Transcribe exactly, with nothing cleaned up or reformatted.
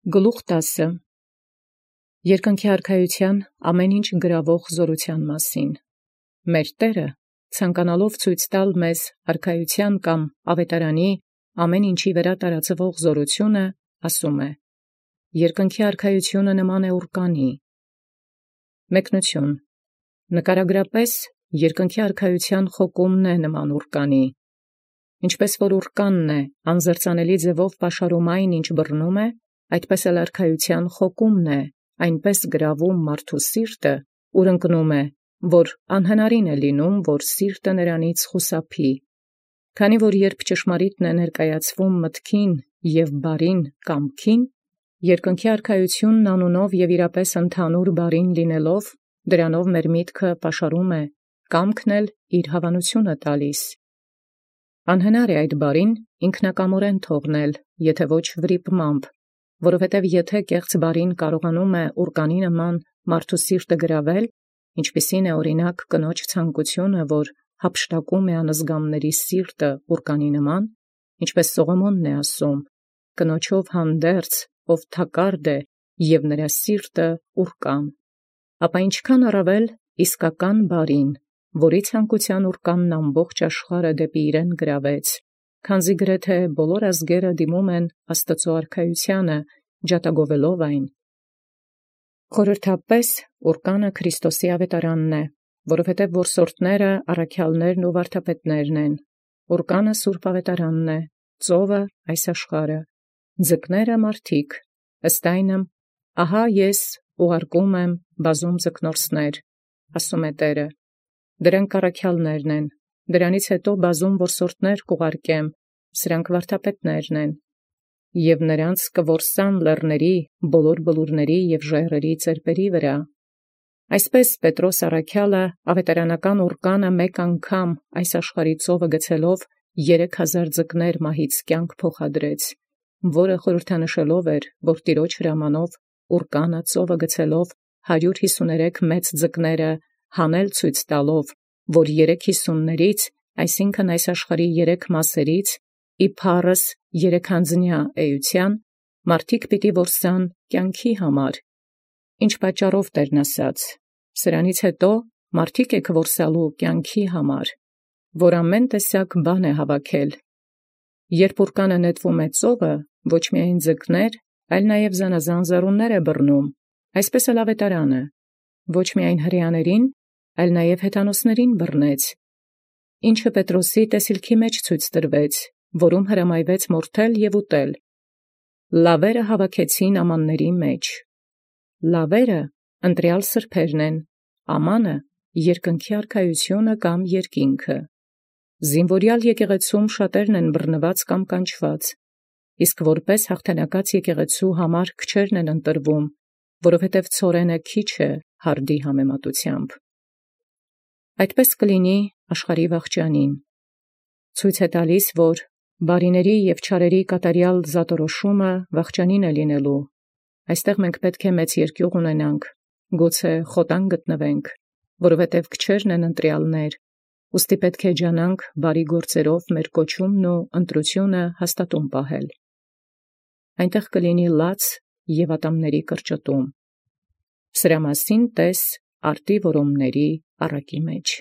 Գլուխ տասը Երկնքի արքայութեան ամեն ինչ գրաւող զորութեան մասին։ Մեր Տէրը ցանկանալով ցույց տալ մեզ արքայութեան կամ աւետարանի ամեն ինչի վերա տարածվող զորութիւնը, ասում է. երկնքի արքայութիւնը նման է ուռկանի։ Մեկնություն. նկարագրապես երկնքի արքայութեան խոկումն է նման ուռկանի, ինչպես որ ուռկանն է անզերծանելի ձևով պաշարում այն, ինչ բռնում է, այդպես էլ արքայութեան խոկումն է, այնպես գրավում մարդու սիրտը, ուր ընկնում է, որ անհնարին է լինում, որ սիրտը նրանից խուսափի։ Քանի որ երբ ճշմարիտն է ներկայացվում մտքին և բարին կամքին, երկնքի արքայութիւնն անունով և իրապես ընդհանուր բարին լինելով, դրանով մեր միտքը պաշարում է, կամքն էլ իր հավանութիւնը տալիս։ Անհնար է այդ բարին ինքնակամորեն թողնել, եթէ ոչ վրիպմամբ, որովհետև եթէ կեղծ բարին կարողանում է ուռկանի նման մարդու սիրտը գրավել, ինչպիսին է օրինակ կնոջ ցանկութիւնը, որ յափշտակում է անզգամների սիրտը ուռկանի նման, ինչպես Սողոմոնն է ասում. կնոջով հանդերձ, ով թակարդ է, և նրա սիրտը ուռկան, ապա ինչքան առավել իսկական բարին, որի ցանկութեան ուռկանն ամբողջ աշխարհը դեպի իրեն գրավեց, քանզի գրեթե բոլոր ազգերը դիմում են Աստուծոյ արքայութեանը, ջատագովելով այն։ Խորհրդապես ուռկանը Քրիստոսի աւետարանն է, որովհետև որսորդները առաքյալներն ու վարդապետներն են, ուռկանը սուրբ աւետարանն է, ծովը այս աշխարհը, ձկները մարդիկ, ըստ այնմ, ահա ես ուղարկում եմ բազում ձկնորսներ, ասում է Տէրը, դրանք առաքյալներն են, դրանից հետո բազում որսորդներ կուղարկեմ, սրանք վարդապետներն են, և նրանց կորսան լեռների, բոլոր բլուրների և ժայռերի ծերպերի վրա։ Այսպես Պետրոս առաքյալը աւետարանական ուռկանը մեկ անգամ այս աշխարհի ծովը գցելով երեք հազար ձկներ մահից կյանք փոխադրեց, որը խորհրդանշելով էր, որ Տիրոջ հրամանով ուռկանը ծովը գցելով հարյուր հիսուներեք մեծ ձկները հանել ցույց տալով, որ երեք հիսուններից, այսինքն այս աշխարհի երեք մասերից, ի փառս երեքանձնյա էության, մարդիկ պիտի որսան կյանքի համար, ինչ պատճառով Տէրն ասաց. սրանից հետո մարդիկ եք որսալու կյանքի համար, որ ամեն տեսակ բան է հավաքել։ Երբ ուռկանը նետվում է ծովը, ոչ միայն ձկներ, այլ նաև զանազան զառուններ է բռնում, այսպես էլ աւետարանը, ոչ միայն հրեաներին, այլ նաև հեթանոսներին բռնեց, ինչը Պետրոսի տեսիլքի մեջ ցույց տրվեց, որում հրամայվեց մորթել և ուտել։ Լավերը հավաքեցին ամանների մեջ։ Լավերը ընտրյալ սրբերն են, ամանը երկնքի արքայութիւնը կամ երկինքը։ Զինուորյալ եկեղեցում շատերն են բռնված կամ կանչված, իսկ որպես հաղթանակած եկեղեցու համար քչերն են ընտրվում, որովհետև ցորենը քիչ է յարդի համեմատութեամբ։ Այդպես կլինի աշխարհի վախճանին, ցույց է տալիս, որ բարիների և չարերի կատարյալ զատորոշումը վախճանին է լինելու։ Այստեղ մենք պետք է մեծ երկյուղ ունենանք, գուցե խոտան գտնվենք, որովհետև քչերն են ընտրյալներ, ուստի պետք է ջանանք բարի գործերով մեր կոչումն ու ընտրութիւնը հաստատուն պահել։ Այնտեղ կլինի լաց և ատամների կրճտում։ Սրա մասին տես արտի որոմների առակի մեջ։